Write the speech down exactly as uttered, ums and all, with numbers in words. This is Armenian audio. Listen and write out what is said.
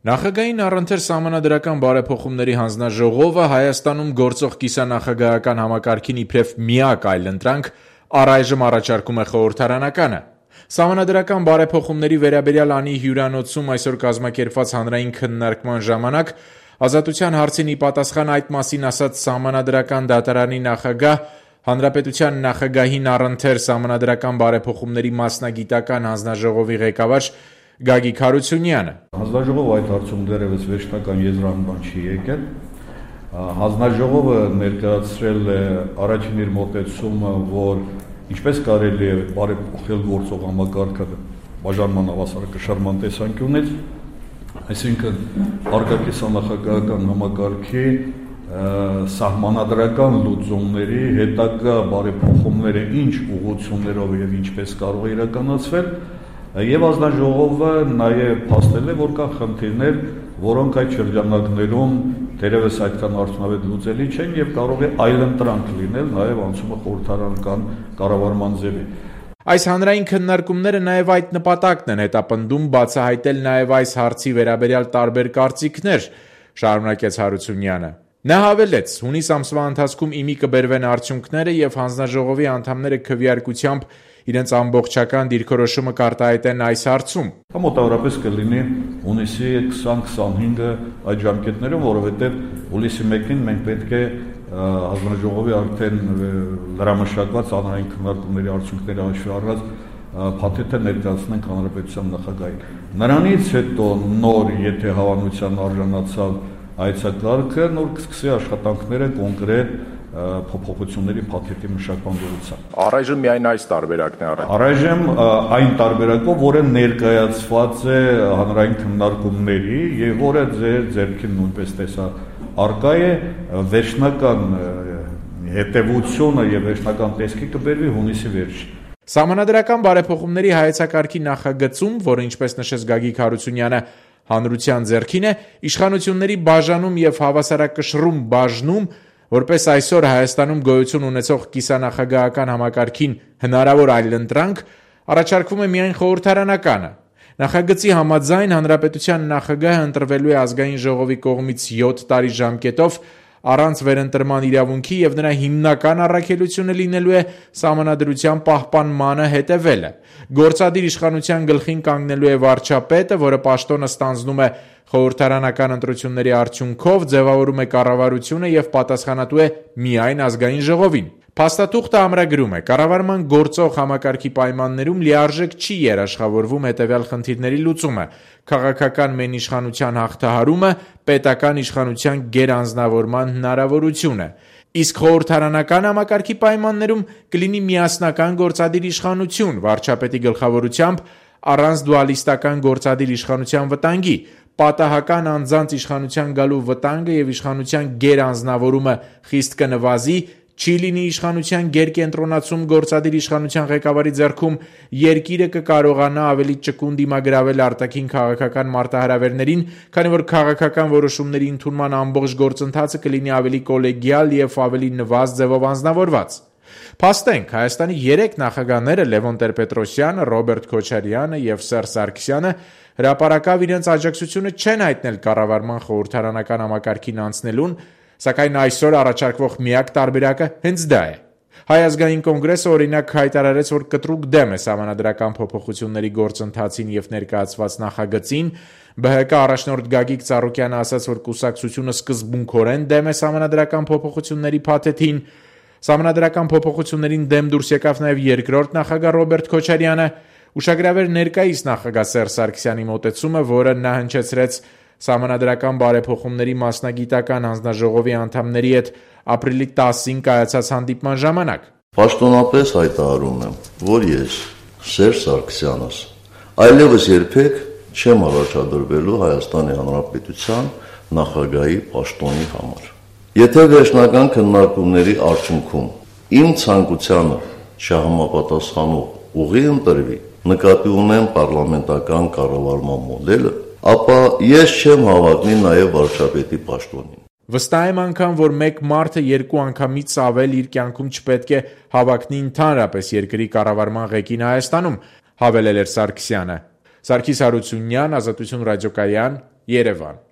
Նախագահային առընթեր սահմանադրական բարեփոխումների հանձնաժողովը Հայաստանում գործող կիսանախագահական համակարգին իբրև միակ այլընտրանք առայժմ առաջարկում է խորհրդարանականը։ Սահմանադրական բարեփոխումների վերաբերյալ անի հյուրանոցում այսօր կազմակերպված հանրային քննարկման ժամանակ Ազատության հարցին ի պատասխան այդ մասին ասաց Սահմանադրական դատարանի նախագահ, Հանրապետության նախագահին առընթեր սահմանադրական բարեփոխումների մասնագիտական հանձնաժողովի ղեկավար Գագիկ Հարությունյանը։ Հանձնաժողովը այդ հարցում դեռևս վերջնական եզրանման չի եկել։ Հանձնաժողովը ներկայացրել է առաջին իր մոտեցումը, որ ինչպես կարելի է բարեփոխել գործող համակարգը բաժանման հավասարակշռման տեսանկյունից, այսինքն արտաքիսանախագահական համակարգի սահմանադրական լուծումների հետագա բարեփոխումները ինչ ուղղություններով եւ ինչպես կարող է իրականացվել, եւ հանձնաժողովը նաեւ փաստել է, որ կան խնդիրներ, որոնք այդ շրջանակներում դերևս այդքան արդյունավետ լուծելի չեն եւ կարող է այլընտրանք լինել նաեւ անցումը խորհրդարանական կառավարման ձևի։ Այս հանրային քննարկումները նաեւ այդ նպատակն են հետապնդում բացահայտել նաեւ այս հարցի վերաբերյալ տարբեր կարծիքներ, շարունակեց Հարությունյանը։ Նա հավելեց, հունիս ամսվա ընթացքում իմի կբերվեն արդյունքները եւ հանձնաժողովի անդամները քվեարկությամբ իրենց ամբողջական դիրքորոշումը կարտահայտեն այս հարցում։ Մոտավորապես կլինի հունիսի քսան քսանհինգը այդ ժամկետներում, որովհետեւ հուլիսի մեկին մենք պետք է հանձնաժողովի արդեն լրամշակված հանրային քննարկումների արդյունքները հաշվի առած փաթեթը ներկայացնենք հանրապետության նախագահին։ Նրանից հետո նոր, եթե հավանության արժանացավ այցակարգը, նոր կսկսի աշխատանքները կոնկրետ փոփոխությունների փաթեթի մշակման դրությամբ։ Առայժմ միայն այս տարբերակն է առայժմ։ Առայժմ այն տարբերակով, որը ներկայացված է հանրային քննարկումների եւ որը ձեր ձեռքին նույնպես տեսա արկա է, վերջնական հետեւությունը եւ վերջնական տեսքի կբերվի հունիսի վերջին։ Սահմանադրական բարեփոխումների հայեցակարգի նախագծում, որը ինչպես նշեց Գագիկ Հարությունյանը, հանրության ձեռքին է, իշխանությունների բաժանում եւ հավասարակշռում բաժնում, որպես այսօր Հայաստանում գոյություն ունեցող կիսանախագահական համակարգին հնարավոր այլընտրանք, առաջարկվում է միայն խորհրդարանականը։ Նախագծի համաձայն հանրապետության նախագահը ընտրվելու է ազգային ժողովի կողմից յոթ տարի ժամկետով առանց վերընտրման իրավունքի եւ նրա հիմնական առաքելությունը լինելու է սահմանադրության պահպանմանը հետևելը։ Գործադիր իշխանության գլխին կանգնելու է վարչապետը, որը պաշտոնը ստանձնում է խորհրդարանական ընտրությունների արդյունքով, ձևավորում է կառավարությունը եւ պատասխանատու է միայն ազգային ժողովին։ Փաստաթուղթը ամրագրում է. կառավարման գործող համակարգի պայմաններում լիարժեք չի երաշխավորվում հետևյալ խնդիրների լուծումը՝ քաղաքական մենիշխանության հաղթահարումը, պետական իշխանության գերանձնավորման հնարավորությունը։ Իսկ խորհրդարանական համակարգի պայմաններում կլինի միասնական գործադիր իշխանություն վարչապետի գլխավորությամբ առանց դուալիստական գործադիր իշխանության վտանգի, պատահական անձանց իշխանության գալու վտանգը եւ իշխանության գերանձնավորումը խիստ կնվազի, չի լինի իշխանության գերկենտրոնացում գործադիր իշխանության ղեկավարի ձեռքում, երկիրը կկարողանա ավելի ճկուն դիմագրավել արտաքին քաղաքական մարտահրավերներին, քանի որ քաղաքական որոշումների ընդունման ամբողջ գործընթացը կլինի ավելի կոլեգիալ եւ ավելի նվազ ձևով անձնավորված։ Փաստենք, Հայաստանի երեք նախագահները Լևոն Տեր-Պետրոսյանը, Ռոբերտ Քոչարյանը եւ Սերժ Սարգսյանը հրապարակավ իրենց աջակցությունը չեն հայտնել կառավարման խորհրդարանական համակարգին անցնելուն, սակայն այսօր առաջարկվող միակ տարբերակը հենց դա է։ Հայ ազգային կոնգրեսը օրինակ հայտարարեց, որ կտրուկ դեմ է սահմանադրական փոփոխությունների գործընթացին եւ ներկայացված նախագծին, ԲՀԿ առաջնորդ Գագիկ Ծառուկյանը ասաց, որ կուսակցությունը սկզբունքորեն դեմ է սահմանադրական փոփոխությունների փաթեթին, սահմանադրական փոփոխություններին դեմ դուրս եկավ նաեւ երկրորդ նախագահ Ռոբերտ Քոչարյանը, ուշագրավեր ներկայիս նախագահ Սերժ Սարգսյանի մոտեցումը, որը նա հնչեցրեց Սահմանադրական բարեփոխումների մասնագիտական հանձնաժողովի անդամների հետ ապրիլի տասին կայացած հանդիպման ժամանակ։ Պաշտոնապես հայտարարում եմ, որ ես Սերժ Սարգսյանս այլևս երբեք չեմ առաջադրվելու Հայաստանի Հանրապետության նախագահի պաշտոնի համար։ Եթե վերջնական քննարկումների արդյունքում իմ ցանկությանը չհամապատասխանող ուղի ընտրվի, նկատի ունեմ պարլամենտական կառավարման մոդելը, ապա ես չեմ հավակնի նաև վարչապետի պաշտոնին։ Վստահ եմ անգամ, որ մեկ մարդը երկու անգամից ավել իր կյանքում չպետք է հավակնի ընդհանրապես երկրի կառավարման ղեկին Հայաստանում, հավելել էր Սարգսյանը։ Սարգիս Հարությունյան, Ազատություն ռադիոկայան, Երևան։